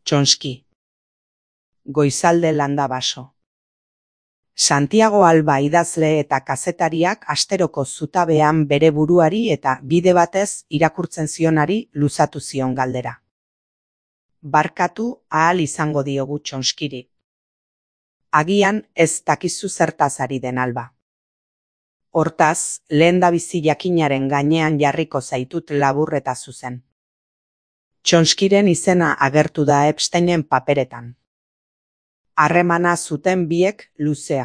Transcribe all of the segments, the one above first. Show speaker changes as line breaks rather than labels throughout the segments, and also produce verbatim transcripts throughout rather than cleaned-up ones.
Txonski. Goizalde landa baso. Santiago Alba idazle eta kazetariak asteroko zutabean bere buruari eta bide batez irakurtzen zionari luzatu zion galdera. Barkatu ahal izango diogu Txonskiri. Agian ez dakizu zertaz ari den Alba. Hortaz, lehendabizi jakinaren gainean jarriko zaitut labur eta zuzen. Txonskiren izena agertu da Epsteinen paperetan. Harremana zuten biek luzea.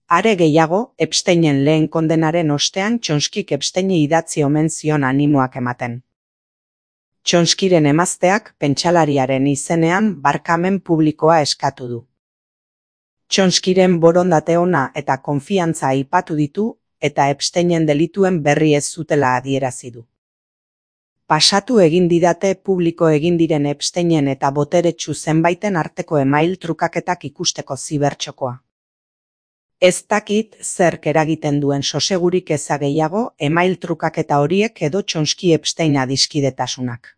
Are gehiago, Epsteinen lehen kondenaren ostean Txonskik Epsteini idatzi omen zion animoak ematen. Txonskiren emazteak pentsalariaren izenean barkamen publikoa eskatu du. Txonskiren borondate ona eta konfiantza aipatu ditu eta Epsteinen delituen berri ez zutela adierazi du. Pasatu egin didate publiko egin diren Epsteinen eta boteretsu zenbaiten arteko email trukaketak ikusteko zibertxokoa. Ez dakit zerk eragiten duen sosegurik eza gehiago email trukaketa horiek edo Txonski Epstein adiskidetasunak.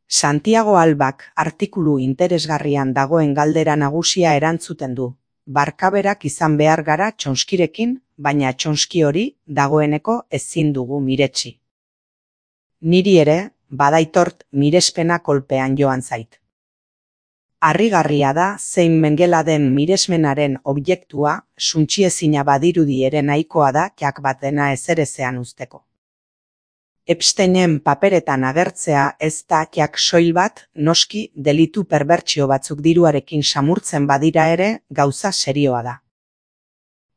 Santiago Albak artikulu interesgarrian dagoen galdera nagusia erantzuten du. Barkaberak izan behar gara Txonskirekin, baina Txonski hori dagoeneko ezin dugu miretsi. Niri ere, badaitort mirespena kolpean joan zait. Harrigarria da zein mengela den miresmenaren objektua suntsiezina badirudi ere nahikoa da jak bat dena ezerezean uzteko. Epsteinen paperetan agertzea ez da jak soil bat, noski delitu perbertsio batzuk diruarekin samurtzen badira ere gauza serioa da.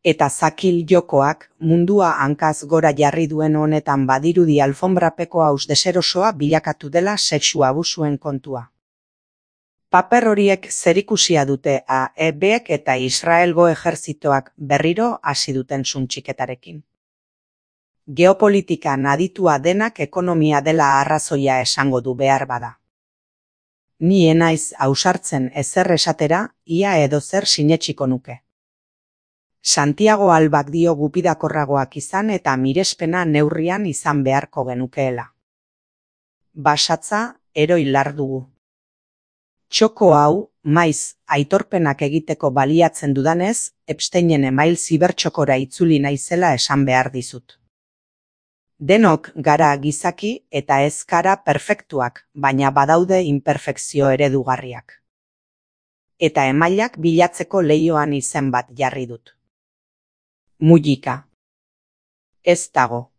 Eta zakil jokoak mundua hankaz gora jarri duen honetan badirudi alfonbrapeko haus deserosoa bilakatu dela sexu abusuen kontua. Paper horiek zerikusia dute A E Bek eta Israelgo ejerzitoak berriro hasi duten suntxiketarekin. Geopolitikan aditua denak ekonomia dela arrazoia esango du behar bada. Ni enaiz ausartzen ezer esatera, ia edo zer sinetsiko nuke. Santiago Albak dio gupidakorragoak izan eta mirespena neurrian izan beharko genukeela. Basatza eroi lar dugu. Txoko hau, maiz, aitorpenak egiteko baliatzen dudanez, Epsteinen email zibertxokora itzuli naizela esan behar dizut. Denok gara gizaki eta ez gara perfektuak, baina badaude imperfekzio eredugarriak. Eta emailak bilatzeko leioan izen bat jarri dut. Mujika. Ez dago.